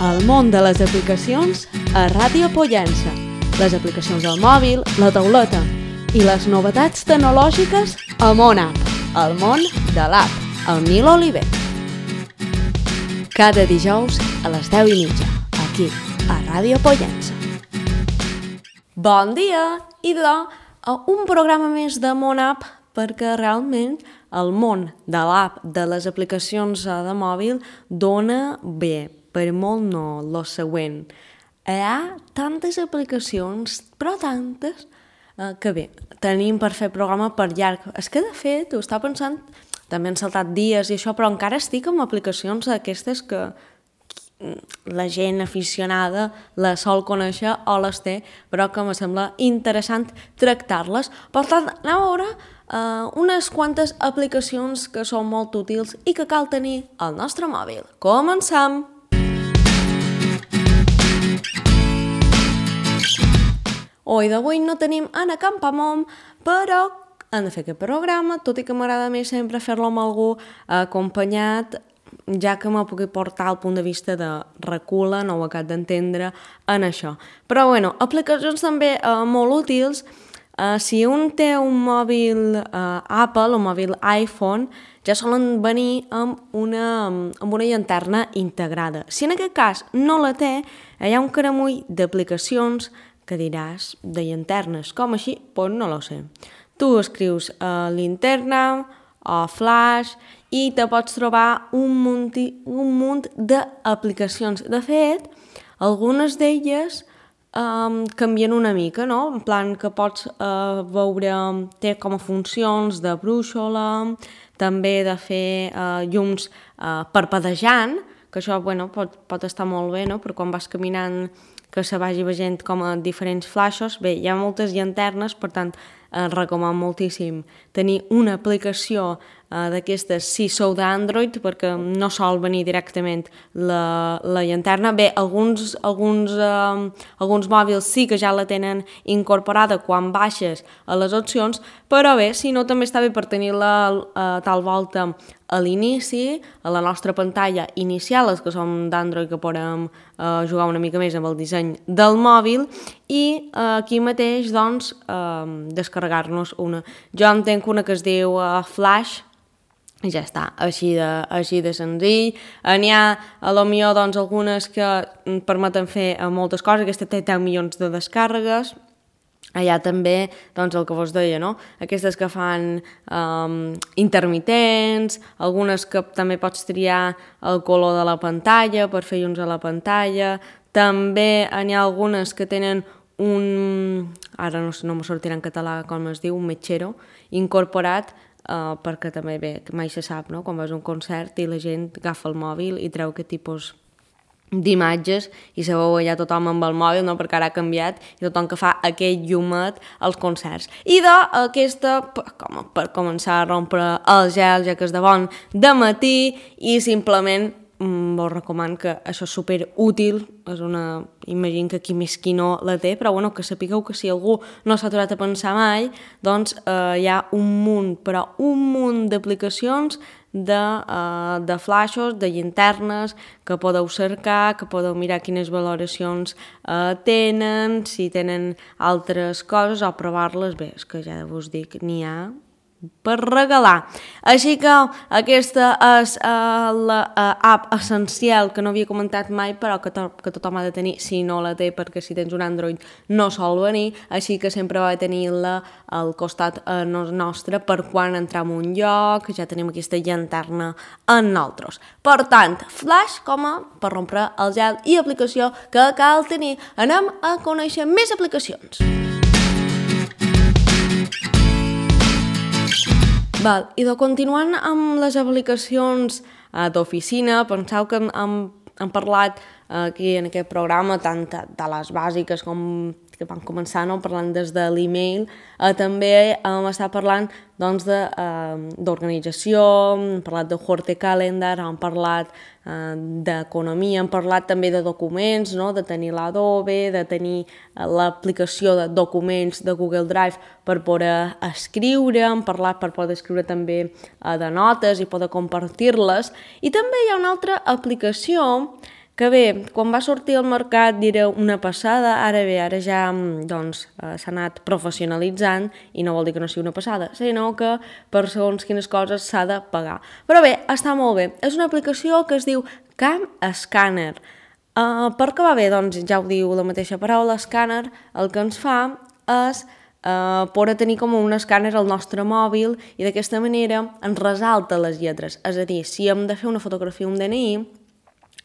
El món de les aplicacions a Ràdio Pollença. Les aplicacions al mòbil, la tauleta i les novetats tecnològiques a MonApp, el món de l'app, el Nil Oliver. Cada dijous a les 10:30, aquí, a Ràdio Pollença. Bon dia! I un programa més de MonApp, perquè realment el món de l'app, de les aplicacions de mòbil, dona bé, per molt no, lo següent. Hi ha tantes aplicacions, però tantes, que bé, tenim per fer programa per llarg. És que, de fet, ho estava pensant, també han saltat dies i això, però encara estic amb aplicacions aquestes que la gent aficionada les sol conèixer o les té, però que em sembla interessant tractar-les. Per tant, anem a veure unes quantes aplicacions que són molt útils i que cal tenir al nostre mòbil. Comencem! Avui d'avui no tenim Anna Campamont, però hem de fer aquest programa, tot i que m'agrada més sempre fer-lo amb algú acompanyat, ja que me pugui portar el punt de vista de recula, no ho acabo d'entendre en això. Però bueno, aplicacions també molt útils. Si un té un mòbil Apple, un mòbil iPhone, ja solen venir amb una llanterna integrada. Si en aquest cas no la té, hi ha un caramull d'aplicacions que diràs de llanternes, com així? Doncs no lo sé. Tu escrius linterna o flash i te pots trobar un munt d'aplicacions. De fet, algunes d'elles canvien una mica, no? En plan que pots veure, té com a funcions de brúixola, també de fer llums parpadejant, que això pot estar molt bé, no? Per quan vas caminant que se vagi veient com a diferents flaixos. Bé, hi ha moltes llanternes, per tant, recomano moltíssim tenir una aplicació d'aquestes si sou d'Android, perquè no sol venir directament la llanterna. Bé, alguns mòbils sí que ja la tenen incorporada quan baixes a les opcions, però bé, si no, també està bé per tenir-la tal volta a l'inici, a la nostra pantalla inicial, els que som d'Android que podem jugar una mica més amb el disseny del mòbil, i aquí mateix, doncs, descarregar-nos una. Jo en tenc una que es diu Flash, i ja està, així de senzill. N'hi ha, a lo millor, doncs, algunes que permeten fer moltes coses. Aquesta té 10 milions de descàrregues. Allà també, doncs, el que vos deia, no? Aquestes que fan intermitents, algunes que també pots triar el color de la pantalla per fer llums a la pantalla. També n'hi ha algunes que tenen ara no me sortirà en català com es diu, un metgero incorporat, perquè també, bé, mai se sap, no? Quan vas a un concert i la gent agafa el mòbil i treu aquest tipus d'imatges i se veu allà tothom amb el mòbil, no? Perquè ara ha canviat i tothom que fa aquell llumet als concerts. I aquesta, per començar a rompre el gel, ja que és de bon dematí, i simplement vos recomano que això és superútil, imagino que qui més qui no la té, però bueno, que sapigueu que si algú no s'ha aturat a pensar mai, doncs hi ha un munt d'aplicacions de flaixos, de llanternes, que podeu cercar, que podeu mirar quines valoracions tenen, si tenen altres coses o provar-les. Bé, és que ja vos dic, n'hi ha per regalar. Així que aquesta és l'app essencial que no havia comentat mai, però que tothom ha de tenir si no la té, perquè si tens un Android no sol venir, així que sempre va tenir-la al costat nostre per quan entrem a un lloc, ja tenim aquesta llanterna en nosaltres. Per tant, Flash com a per rompre el gel i aplicació que cal tenir. Anem a conèixer més aplicacions. I continuant amb les aplicacions d'oficina, penseu que hem parlat aquí en aquest programa tant de les bàsiques com que vam començar, no? Parlant des de l'email, també hem estat parlant d'organització, hem parlat de Horticalendar, hem parlat d'economia, hem parlat també de documents, no? De tenir l'Adobe, de tenir l'aplicació de documents de Google Drive per poder escriure, hem parlat per poder escriure també de notes i poder compartir-les, i també hi ha una altra aplicació Que bé, quan va sortir al mercat era una passada, ara bé, ara ja s'ha anat professionalitzant i no vol dir que no sigui una passada, sinó que per segons quines coses s'ha de pagar. Però bé, està molt bé. És una aplicació que es diu Cam Scanner. Per què va bé? Doncs ja ho diu la mateixa paraula, escàner, el que ens fa és poder tenir com un escàner al nostre mòbil i d'aquesta manera ens resalta les lletres. És a dir, si hem de fer una fotografia o un DNI,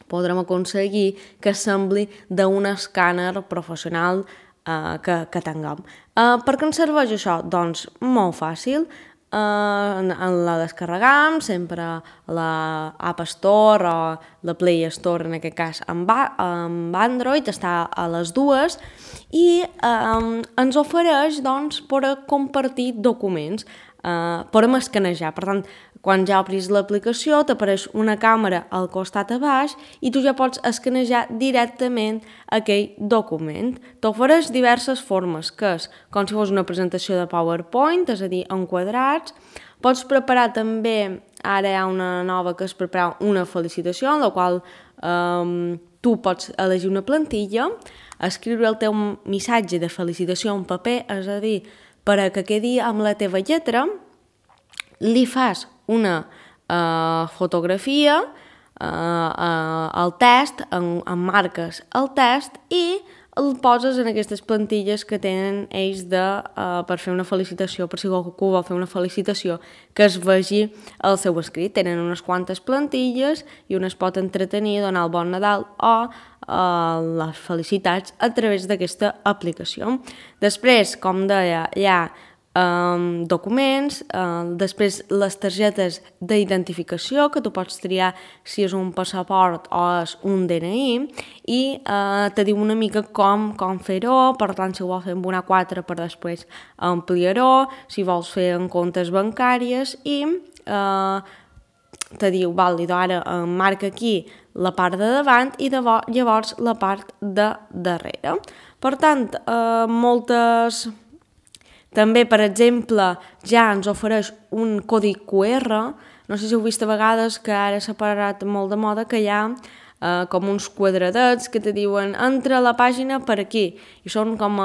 podrem aconseguir que sembli d'un escàner professional que tinguem. Per què ens serveix això? Doncs molt fàcil. La descarregam sempre a l'App Store o la Play Store, en aquest cas amb Android, està a les dues i ens ofereix doncs, per compartir documents, podem escanejar. Per tant, quan ja obris l'aplicació t'apareix una càmera al costat a baix i tu ja pots escanejar directament aquell document. T'ofereix diverses formes, que és com si fos una presentació de PowerPoint, és a dir, en quadrats. Pots preparar també, ara hi ha una nova que és preparar una felicitació, en la qual tu pots elegir una plantilla, escriure el teu missatge de felicitació en paper, és a dir, per a que quedi amb la teva lletra, li fas una fotografia al test, emmarques el test i el poses en aquestes plantilles que tenen ells per fer una felicitació, per si algú vol fer una felicitació, que es vegi el seu escrit. Tenen unes quantes plantilles i un es pot entretenir, donar el bon Nadal o les felicitats a través d'aquesta aplicació. Després, com deia, hi ha documents, després les targetes d'identificació, que tu pots triar si és un passaport o és un DNI, i te diu una mica com fer-ho. Per tant, si ho vols fer amb una 4 per després ampliar-ho, si vols fer en comptes bancàries, i te diu, vàlid, ara marca aquí la part de davant i llavors la part de darrere. Per tant, moltes... També, per exemple, ja ens ofereix un codi QR. No sé si heu vist a vegades que ara s'ha parat molt de moda que hi ha com uns quadradets que te diuen entra a la pàgina per aquí. I són com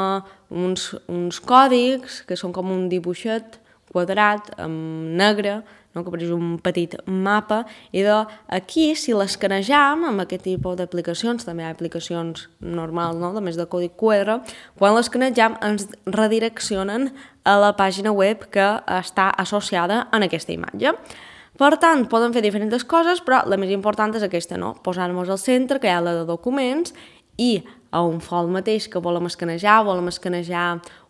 uns còdics que són com un dibuixet quadrat amb negre, no? Que apareix un petit mapa, i aquí, si l'escanejam amb aquest tipus d'aplicacions, també hi ha aplicacions normals, no? A més de codi QR, quan l'escanejam ens redireccionen a la pàgina web que està associada en aquesta imatge. Per tant, poden fer diferents coses, però la més important és aquesta, no? Posar-nos al centre, crear la de documents, i a un fol mateix que volem escanejar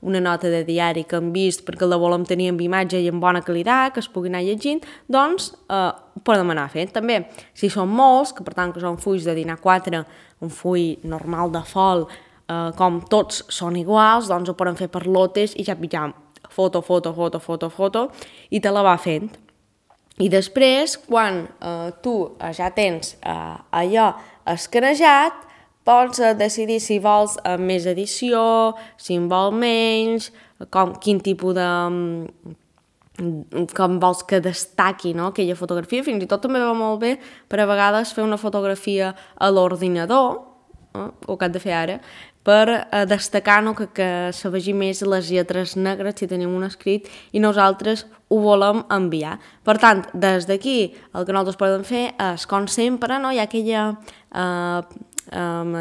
una nota de diari que hem vist perquè la volem tenir amb imatge i en bona qualitat, que es pugui anar llegint, doncs podem anar fent. També, si són molts, que per tant que són fulls de dinar 4, un full normal de fol, com tots són iguals, doncs ho podem fer per lotes i ja pitjam foto, i te la va fent. I després, quan tu ja tens allò escanejat, pots decidir si vols més edició, si en vol menys, quin tipus de... com vols que destaqui, no? Aquella fotografia. Fins i tot també va molt bé per a vegades fer una fotografia a l'ordinador, o que has de fer ara, per destacar, no? que se vegi més les lletres negres si tenim un escrit i nosaltres ho volem enviar. Per tant, des d'aquí el que nosaltres podem fer és, com sempre, no? Hi ha aquella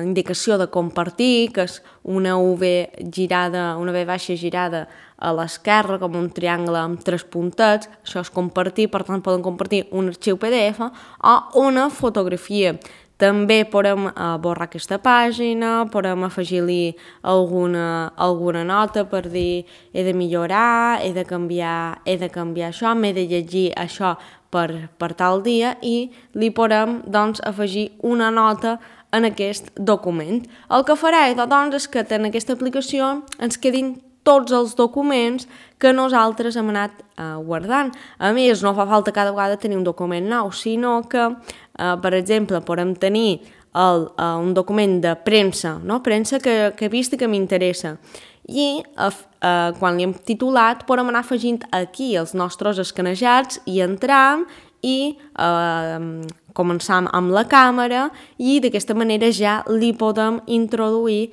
indicació de compartir, que és una V girada, una V baixa girada a l'esquerra, com un triangle amb 3 puntets. Això és compartir, per tant poden compartir un arxiu PDF o una fotografia. També podem borrar aquesta pàgina, podem afegir-li alguna nota per dir he de millorar, he de canviar això, m'he de llegir això per tal dia, i li podem doncs, afegir una nota en aquest document. El que farà doncs, és que en aquesta aplicació ens quedin tots els documents que nosaltres hem anat guardant. A més, no fa falta cada vegada tenir un document nou, sinó que, per exemple, podem tenir un document de premsa, no? Premsa que he vist i que m'interessa. I quan li hem titulat podem anar afegint aquí els nostres escanejats i entram i començam amb la càmera i d'aquesta manera ja li podem introduir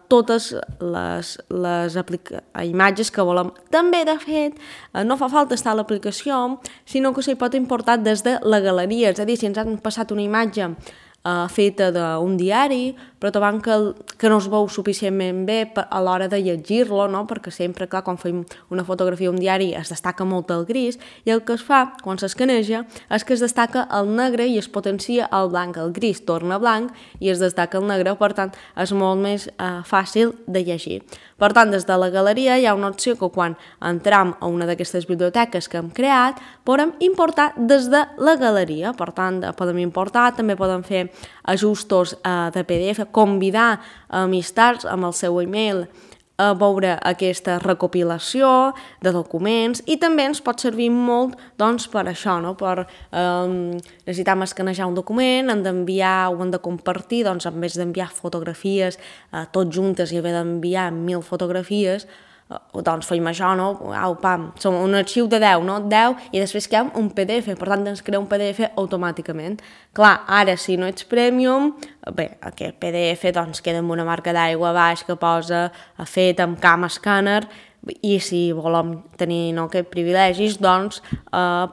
totes les imatges que volem. També, de fet, no fa falta estar a l'aplicació, sinó que s'hi pot importar des de la galeria, és a dir, si ens han passat una imatge feta d'un diari, però trobant que no es veu suficientment bé a l'hora de llegir-lo, no? Perquè sempre, clar, quan fem una fotografia d'un diari es destaca molt el gris, i el que es fa quan s'escaneja és que es destaca el negre i es potencia el blanc. El gris torna blanc i es destaca el negre, per tant, és molt més fàcil de llegir. Per tant, des de la galeria hi ha una opció que quan entram a una d'aquestes biblioteques que hem creat, podem importar des de la galeria. Per tant, podem importar, també podem fer ajustos de PDF, convidar amistats amb el seu email a veure aquesta recopilació de documents, i també ens pot servir molt doncs, per això, no? Per necessitam escanejar un document, hem d'enviar o hem de compartir, doncs en vez d'enviar fotografies tot juntes i haver d'enviar 1000 fotografies, doncs fem això, no? Au, pam, som un arxiu de 10, no? 10, i després queda un PDF, per tant ens crea un PDF automàticament. Clar, ara si no ets Premium, bé, aquest PDF doncs queda amb una marca d'aigua baix que posa fet amb Cam Scanner, i si volem tenir aquests privilegis, doncs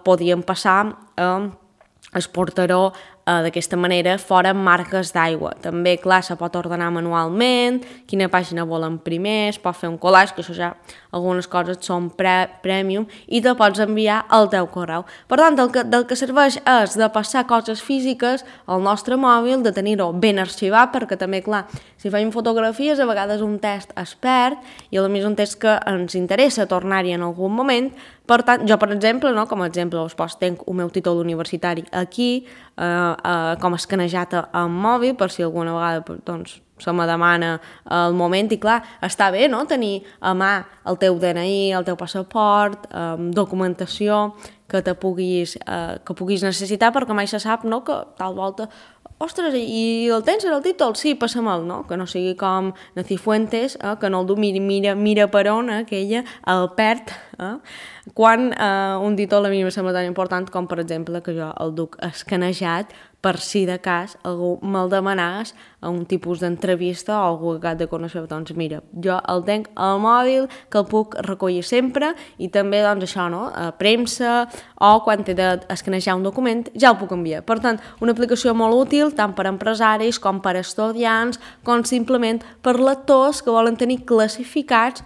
podíem passar el portaró d'aquesta manera fora marques d'aigua. També, clar, se pot ordenar manualment, quina pàgina volen primer, es pot fer un collage, que això ja algunes coses són premium, i te pots enviar al teu correu. Per tant, del que serveix és de passar coses físiques al nostre mòbil, de tenir-ho ben arxivat, perquè també, clar, si fem fotografies, a vegades un test es perd, i a més un test que ens interessa tornar-hi en algun moment. Per tant, jo, per exemple, no, com a exemple, tenc el meu títol universitari aquí, com escanejat al mòbil, per si alguna vegada doncs, se me demana el moment, i clar, està bé, no?, tenir a mà el teu DNI, el teu passaport, documentació que puguis necessitar, perquè mai se sap, no?, que tal volta, ostres, i el tens en el títol? Sí, passam'l, no?, que no sigui com Nacifuentes, que no el du, mira per on, aquella el perd, quan un títol a mi em sembla tan important com, per exemple, que jo el duc escanejat per si de cas algú me'l demanàs a un tipus d'entrevista o algú que de conèixer, doncs mira, jo el tenc al mòbil, que el puc recollir sempre, i també, doncs això, no?, a premsa, o quan he d'escanejar un document, ja el puc enviar. Per tant, una aplicació molt útil, tant per empresaris com per estudiants, com simplement per lectors que volen tenir classificats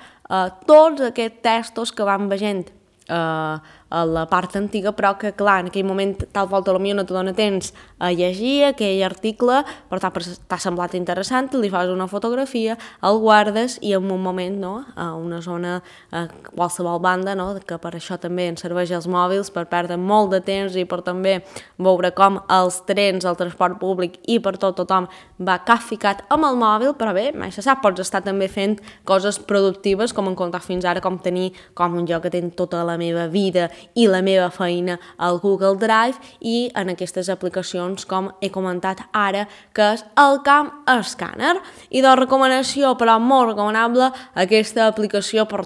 tots aquests textos que van veient a la part antiga, però que, clar, en aquell moment tal volta potser no te dona temps a llegir aquell article, però t'ha semblat interessant, li fas una fotografia, el guardes i en un moment, no?, a una zona, a qualsevol banda, no?, que per això també ens serveix els mòbils, per perdre molt de temps i per també veure com els trens, el transport públic i per tothom va capficat amb el mòbil, però bé, mai se sap, pots estar també fent coses productives, com hem contat fins ara, com tenir com un lloc que té tota la meva vida i la meva feina al Google Drive, i en aquestes aplicacions, com he comentat ara, que és el Cam Scanner. I de recomanació, però molt recomanable, aquesta aplicació per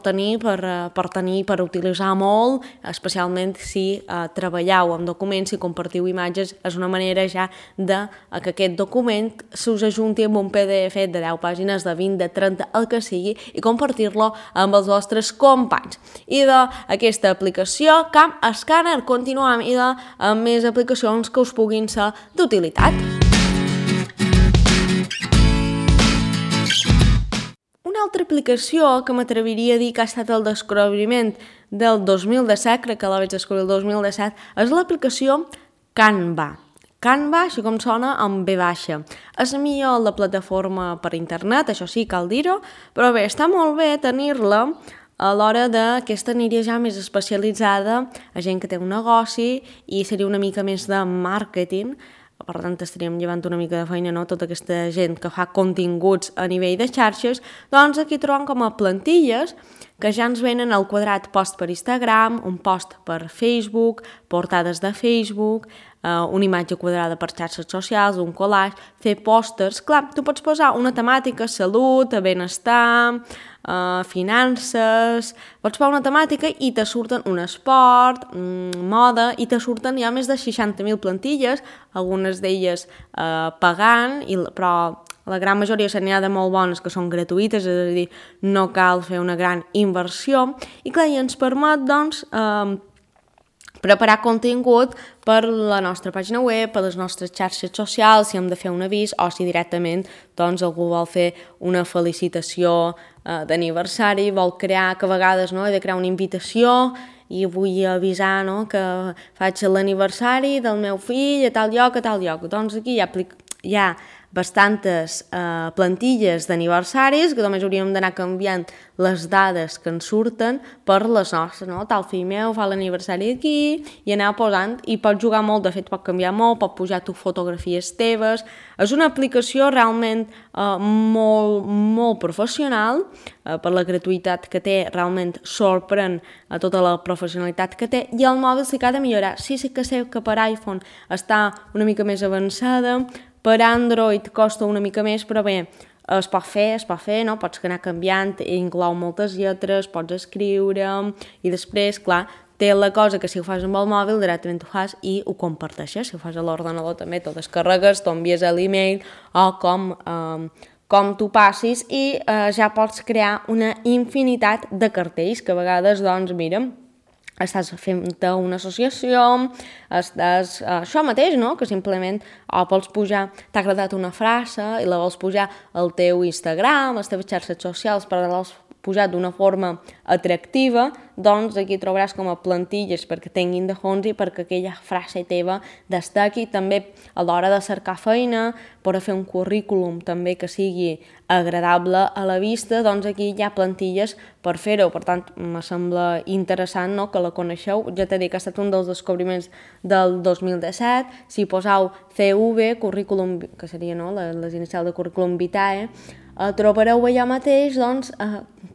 utilitzar molt, especialment si treballeu amb documents i compartiu imatges, és una manera ja de que aquest document s'us ajunti amb un PDF de 10 pàgines, de 20, de 30, el que sigui, i compartir-lo amb els vostres companys. I d'aquesta aplicació, Cam Scanner, continuem i amb més aplicacions que us puguin ser d'utilitat. Una altra aplicació que m'atreviria a dir que ha estat el descobriment del 2017, crec que la vaig descobrir el 2017, és l'aplicació Canva. Canva, així com sona, amb V baixa. És millor la plataforma per internet, això sí, cal dir-ho, però bé, està molt bé tenir-la a l'hora d'aquesta aniria ja més especialitzada a gent que té un negoci i seria una mica més de màrqueting. Per tant, estaríem llevant una mica de feina, no?, tota aquesta gent que fa continguts a nivell de xarxes. Doncs aquí trobem com a plantilles que ja ens venen al quadrat post per Instagram, un post per Facebook, portades de Facebook, una imatge quadrada per xarxes socials, un collage, fer pòsters. Clar, tu pots posar una temàtica, salut, benestar, finances, pots posar una temàtica i te surten un esport, moda, i te surten ja més de 60.000 plantilles, algunes d'elles pagant, però la gran majoria se n'hi ha de molt bones que són gratuïtes, és a dir, no cal fer una gran inversió, i clar, i ens permet, doncs, preparar contingut per la nostra pàgina web, per les nostres xarxes socials, si hem de fer un avís o si directament doncs, algú vol fer una felicitació d'aniversari, vol crear, que a vegades no, he de crear una invitació i vull avisar que faig l'aniversari del meu fill a tal lloc, a tal lloc. Doncs aquí hi ha bastantes plantilles d'aniversaris que només hauríem d'anar canviant les dades que ens surten per les nostres, no? Tal fill meu fa l'aniversari aquí i anar posant, i pot jugar molt, de fet pot canviar molt, pot pujar tu fotografies teves. És una aplicació realment molt professional, per la gratuïtat que té, realment sorprèn a tota la professionalitat que té, i el mòbil sí que ha de millorar. Sí que sé que per iPhone està una mica més avançada, per Android costa una mica més, però bé, es pot fer, no? Pots anar canviant, inclou moltes lletres, pots escriure, i després, clar, té la cosa que si ho fas amb el mòbil directament ho fas i ho comparteixes. Si ho fas a l'ordenador també t'ho descarregues, t'ho envies a l'email o com tu passis, i ja pots crear una infinitat de cartells que a vegades, doncs, mira, estàs fent una associació, això mateix, no? Que simplement vols pujar, t'ha agradat una frase i la vols pujar al teu Instagram, a les teves xarxes socials, per l'has posat d'una forma atractiva, doncs aquí trobaràs com a plantilles perquè tinguin de fons i perquè aquella frase teva destaqui. També a l'hora de cercar feina, per a fer un currículum també que sigui agradable a la vista, doncs aquí hi ha plantilles per fer-ho. Per tant, me sembla interessant, no?, que la coneixeu. Ja t'he dit que ha estat un dels descobriments del 2017. Si poseu CV, currículum, que seria, no?, les inicials de currículum vitae, trobareu allà mateix, doncs,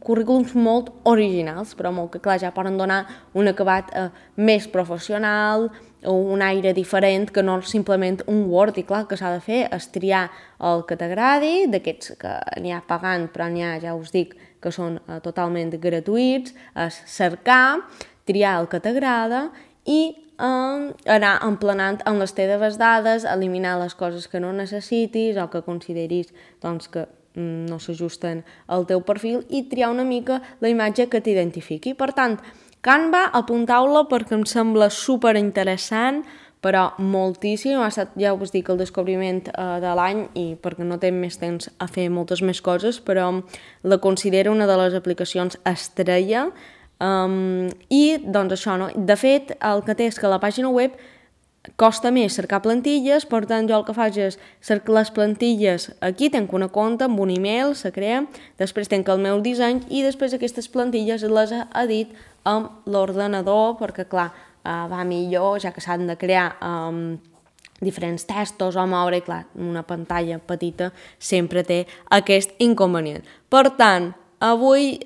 currículums molt originals, però molt que, clar, ja poden donar un acabat més professional, o un aire diferent, que no simplement un Word. I clar, el que s'ha de fer és triar el que t'agradi, d'aquests que n'hi ha pagant, però n'hi ha, ja us dic, que són totalment gratuïts, és cercar, triar el que t'agrada i anar emplenant amb les teves dades, eliminar les coses que no necessitis o que consideris, doncs, que no s'ajusten al teu perfil, i triar una mica la imatge que t'identifiqui. Per tant, Canva, apunteu-la perquè em sembla superinteressant, però moltíssim. Ha estat, ja us dic, el descobriment de l'any, i perquè no té més temps a fer moltes més coses, però la considero una de les aplicacions estrella. I doncs això, no? De fet, el que té és que la pàgina web costa més cercar plantilles, per tant jo el que faig és cercar les plantilles aquí, tenc una compte amb un email, se crea, després tenc el meu disseny i després aquestes plantilles les edit amb l'ordenador, perquè clar, va millor, ja que s'han de crear diferents textos o moure, i clar, una pantalla petita sempre té aquest inconvenient. Per tant, avui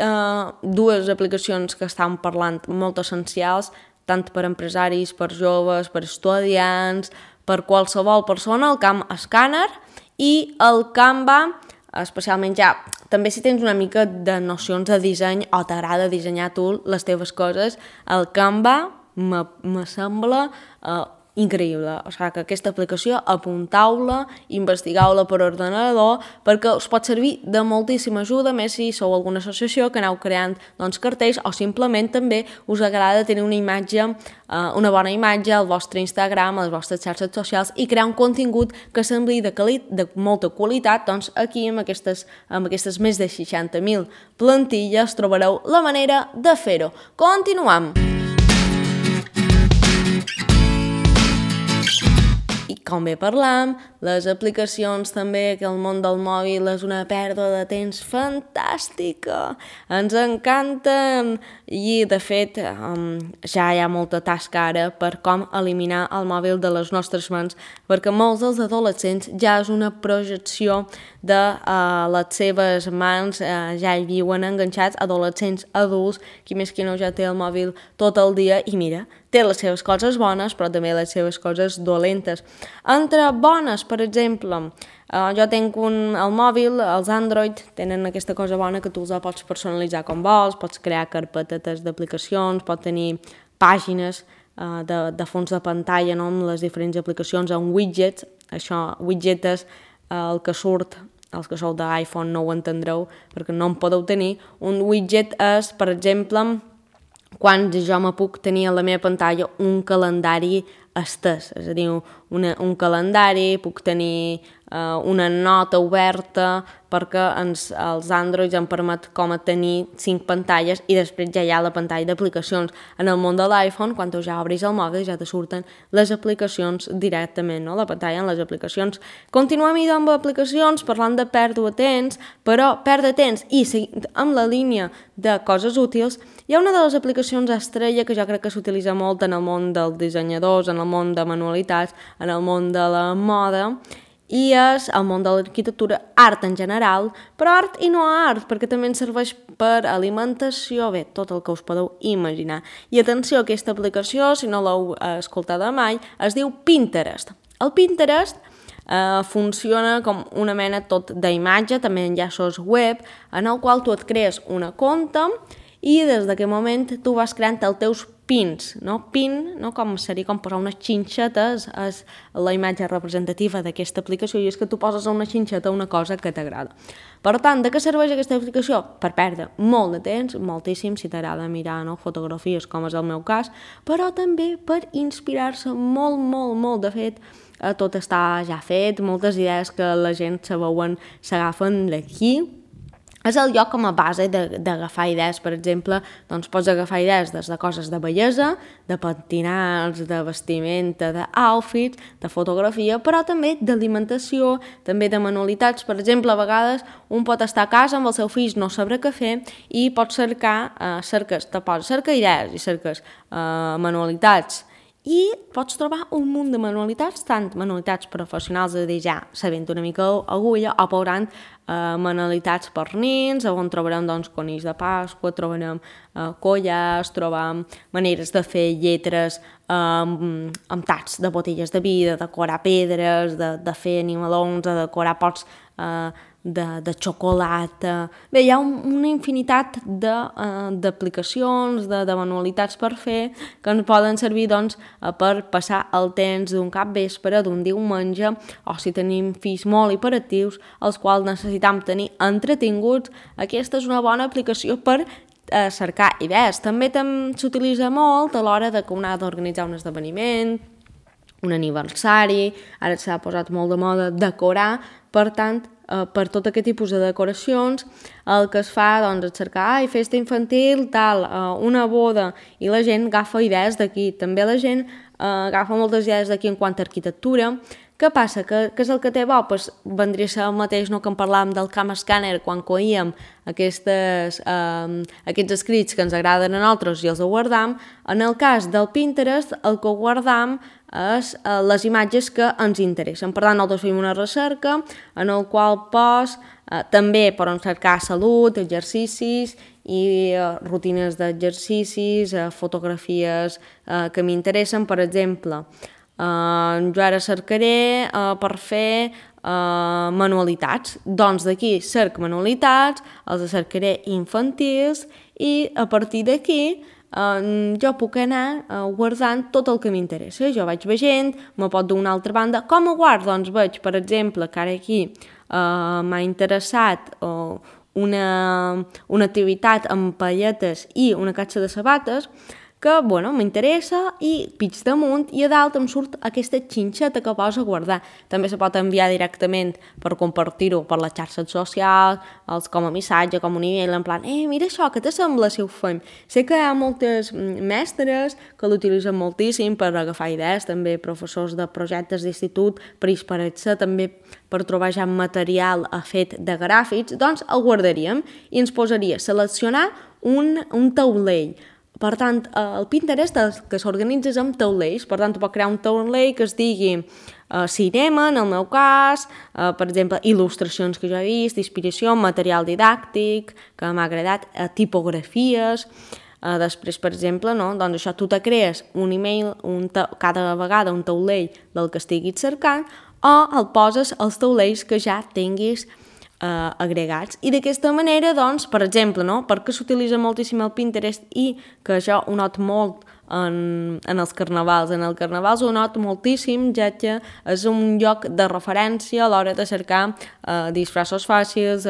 dues aplicacions que estan parlant molt essencials, tant per empresaris, per joves, per estudiants, per qualsevol persona, el Camp Scanner i el Canva, especialment ja, també si tens una mica de nocions de disseny o t'agrada dissenyar tu les teves coses, el Canva me sembla increïble. O sigui que aquesta aplicació apuntau-la, investigueu-la per ordenador, perquè us pot servir de moltíssima ajuda, més si sou alguna associació que aneu creant doncs, cartells, o simplement també us agrada tenir una imatge, una bona imatge al vostre Instagram, a les vostres xarxes socials, i crear un contingut que sembli de molta qualitat. Doncs aquí amb aquestes més de 60.000 plantilles trobareu la manera de fer-ho. Continuem! I com bé parlam, les aplicacions també, que el món del mòbil és una pèrdua de temps fantàstica. Ens encanten i, de fet, ja hi ha molta tasca ara per com eliminar el mòbil de les nostres mans, perquè molts dels adolescents ja és una projecció de les seves mans, ja hi viuen enganxats, adolescents, adults, qui més qui no ja té el mòbil tot el dia, i mira, té les seves coses bones, però també les seves coses dolentes. Entre bones, per exemple, jo tinc el mòbil, els Android tenen aquesta cosa bona que tu els pots personalitzar com vols, pots crear carpetetes d'aplicacions, pots tenir pàgines de fons de pantalla, no?, amb les diferents aplicacions, amb widgets. Això, widget és el que surt, els que sou d'iPhone no ho entendreu perquè no en podeu tenir. Un widget és, per exemple, quan jo me puc tenir a la meva pantalla un calendari estès, és a dir, un calendari, puc tenir una nota oberta, perquè els Androids em permet com a tenir 5 pantalles i després ja hi ha la pantalla d'aplicacions. En el món de l'iPhone, quan tu ja obris el mòbil, ja te surten les aplicacions directament, no?, la pantalla en les aplicacions. Continuem amb aplicacions, parlant de pèrdua de temps, però perdre temps i seguint amb la línia de coses útils, hi ha una de les aplicacions estrella que jo crec que s'utilitza molt en el món dels dissenyadors, en el món de manualitats, en el món de la moda, i és el món de l'arquitectura, art en general, però art i no art, perquè també ens serveix per alimentació, bé, tot el que us podeu imaginar. I atenció, aquesta aplicació, si no l'heu escoltada mai, es diu Pinterest. El Pinterest funciona com una mena tot d'imatge, també enllaços web, en el qual tu et crees una compte i des d'aquest moment tu vas creant els teus pins, no? Pin, no? Com seria com posar unes xinxetes, és la imatge representativa d'aquesta aplicació i és que tu poses a una xinxeta una cosa que t'agrada. Per tant, de què serveix aquesta aplicació? Per perdre molt de temps, moltíssim, si t'agrada mirar, no?, fotografies, com és el meu cas, però també per inspirar-se molt, molt, molt. De fet, tot està ja fet, moltes idees que la gent s'agafen d'aquí. És el lloc com a base d'agafar idees. Per exemple, doncs pots agafar idees des de coses de bellesa, de pentinats, de vestimenta, d'outfits, de fotografia, però també d'alimentació, també de manualitats. Per exemple, a vegades un pot estar a casa amb els seus fills, no sabrà què fer, i pots cercar idees i cerques manualitats, i pots trobar un munt de manualitats, tant manualitats professionals, és a dir, ja sabent una mica agulla, o veurant manualitats per nins, on trobarem doncs, conills de Pasqua, trobarem collars, trobam maneres de fer lletres amb tacs de botelles de vi, de decorar pedres, de fer animalons, de decorar pots de xocolata. Bé, hi ha una infinitat d'aplicacions, de manualitats per fer que ens poden servir doncs, per passar el temps d'un capvespre, d'un diumenge, o si tenim fills molt hiperactius, els quals necessitam tenir entretinguts. Aquesta és una bona aplicació per cercar idees. També s'utilitza molt a l'hora de que un ha d'organitzar un esdeveniment, un aniversari, ara s'ha posat molt de moda decorar, per tant, per tot aquest tipus de decoracions, el que es fa doncs, és cercar festa infantil, tal, una boda, i la gent agafa idees d'aquí. També la gent agafa moltes idees d'aquí en quant a arquitectura. Què passa? Què és el que té bo? Pues, vendria a ser el mateix no, que en parlàvem del Cam Scanner quan coíem aquests escrits que ens agraden a nosaltres i els guardam. En el cas del Pinterest, el que guardam és les imatges que ens interessen. Per tant, nosaltres fem una recerca en el qual també podem cercar salut, exercicis i rutines d'exercicis, fotografies que m'interessen. Per exemple, jo ara cercaré per fer manualitats. Doncs d'aquí cerc manualitats, els cercaré infantils i a partir d'aquí jo puc anar guardant tot el que m'interessa. Jo vaig veient, me pot d'una altra banda. Com ho guardo? Doncs veig, per exemple, que ara aquí m'ha interessat una activitat amb palletes i una catxa de sabates, que m'interessa i pig damunt i a dalt em surt aquesta xinxeta que posa a guardar. També se pot enviar directament per compartir-ho per les xarxes socials, com a missatge, com un email, en plan, mira això, què t'assembla si ho fem? Sé que hi ha moltes mestres que l'utilitzen moltíssim per agafar idees, també professors de projectes d'institut, per inspirar-se també per trobar ja material fet de gràfics, doncs el guardaríem i ens posaria a seleccionar un taulell. Per tant, el Pinterest que s'organitza amb taulells, per tant, tu pots crear un taulell que es digui cinema, en el meu cas, per exemple, il·lustracions que jo he vist, inspiració, material didàctic, que m'ha agradat, tipografies, Després, per exemple, no? Doncs això, tu te crees un email cada vegada un taulell del que estiguis cercant o el poses als taulells que ja tinguis agregats. I d'aquesta manera, doncs, per exemple, no? Perquè s'utilitza moltíssim el Pinterest i que jo ho noto molt en els carnavals. En el carnaval ho noto moltíssim, ja que és un lloc de referència a l'hora de cercar disfressos fàcils,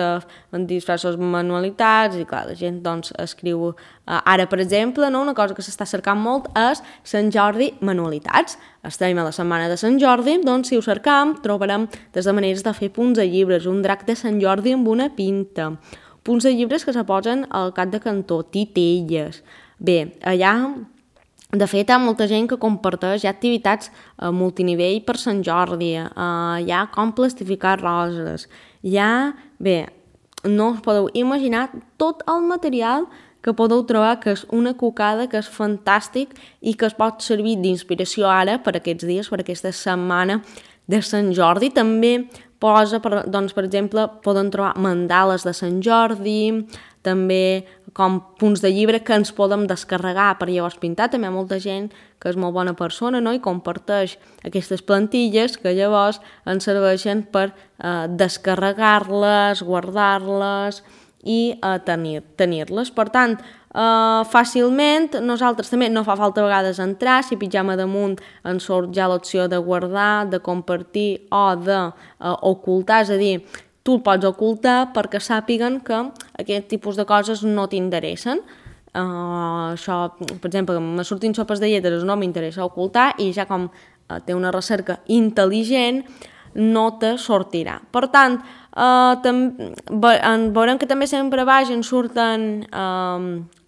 disfressos manualitats, i clar, la gent doncs escriu... Ara, per exemple, no? Una cosa que s'està cercant molt és Sant Jordi manualitats. Estem a la setmana de Sant Jordi, doncs si ho cercam trobarem des de maneres de fer punts de llibres, un drac de Sant Jordi amb una pinta, punts de llibres que se posen al cap de cantó, titelles. Bé, allà... De fet, hi ha molta gent que comparteix activitats multinivell per Sant Jordi, hi ha com plastificar roses, bé, no us podeu imaginar tot el material que podeu trobar, que és una cocada, que és fantàstic i que es pot servir d'inspiració ara per aquests dies, per aquesta setmana de Sant Jordi. També posa, doncs, per exemple, poden trobar mandales de Sant Jordi, també com punts de llibre que ens podem descarregar per llavors pintar. També hi ha molta gent que és molt bona persona, no? I comparteix aquestes plantilles que llavors ens serveixen per descarregar-les, guardar-les i tenir-les. Per tant, fàcilment, nosaltres també no fa falta a vegades entrar, si pitjam a damunt ens surt ja l'opció de guardar, de compartir o d'ocultar, és a dir, tu el pots ocultar perquè sàpiguen que aquest tipus de coses no t'interessen. Això, per exemple, me surtin sopes de lletres, no m'interessa ocultar i ja com té una recerca intel·ligent no te sortirà. Per tant, veurem que també sempre baix en surten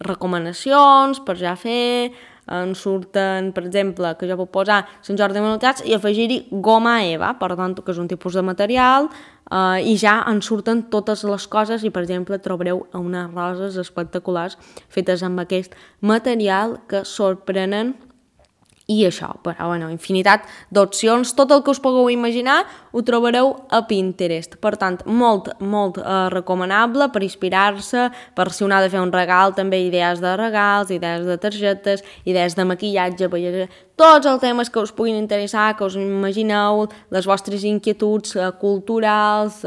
recomanacions per ja fer, en surten, per exemple, que jo puc posar Sant Jordi de manualitats i afegir-hi goma eva, per tant, que és un tipus de material, i ja en surten totes les coses i, per exemple, trobareu unes roses espectaculars fetes amb aquest material que sorprenen. I això, però bueno, infinitat d'opcions, tot el que us pugueu imaginar ho trobareu a Pinterest. Per tant, molt recomanable per inspirar-se, per si un ha de fer un regal, també idees de regals, idees de targetes, idees de maquillatge, tots els temes que us puguin interessar, que us imagineu, les vostres inquietuds culturals,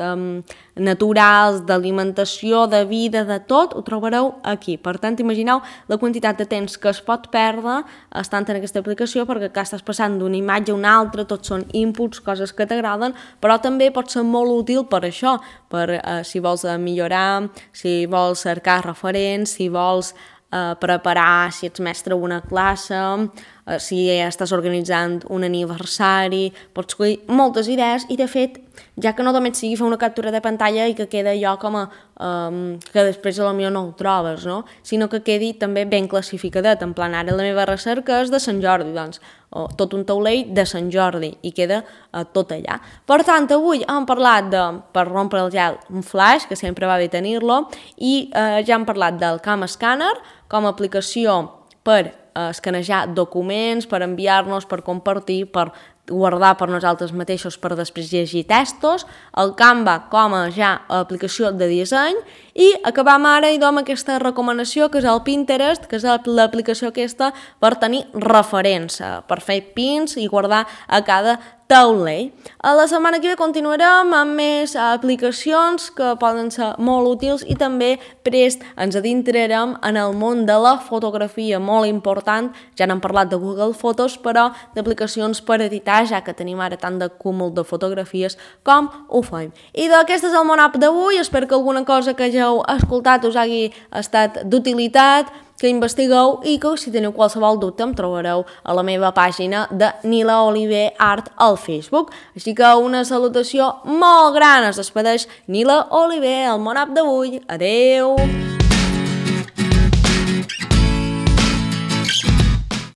naturals, d'alimentació, de vida, de tot, ho trobareu aquí. Per tant, imagineu la quantitat de temps que es pot perdre estant en aquesta aplicació, perquè acá estàs passant d'una imatge a una altra, tots són inputs, coses que t'agraden, però també pot ser molt útil per això, per si vols millorar, si vols cercar referents, si vols preparar, si ets mestre una classe, si estàs organitzant un aniversari, pots escollir moltes idees i de fet, ja que no només sigui fer una captura de pantalla i que queda allò com a que després potser no ho trobes, no? Sinó que quedi també ben classificadet, en plan ara la meva recerca és de Sant Jordi, doncs tot un taulell de Sant Jordi i queda tot allà. Per tant, avui hem parlat de, per rompre el gel, un flash, que sempre va bé tenir-lo, i ja hem parlat del Cam Scanner com a aplicació per escanejar documents, per enviar-nos, per compartir, per guardar per nosaltres mateixos per després llegir textos, el Canva com a ja aplicació de disseny i acabam ara i amb aquesta recomanació que és el Pinterest, que és l'aplicació aquesta per tenir referents, per fer pins i guardar a cada taulell. A la setmana que ve continuarem amb més aplicacions que poden ser molt útils i també prest ens adentrarem en el món de la fotografia, molt important, ja n'hem parlat de Google Fotos, però d'aplicacions per editar, ja que tenim ara tant de cúmul de fotografies com ho fem. I d'aquest és el Món App d'avui, espero que alguna cosa que hàgiu escoltat us hagi estat d'utilitat, que investigueu i que si teniu qualsevol dubte em trobareu a la meva pàgina de Nila Oliver Art al Facebook. Així que una salutació molt gran, es despedeix Nila Oliver, el Món App d'avui. Adeu!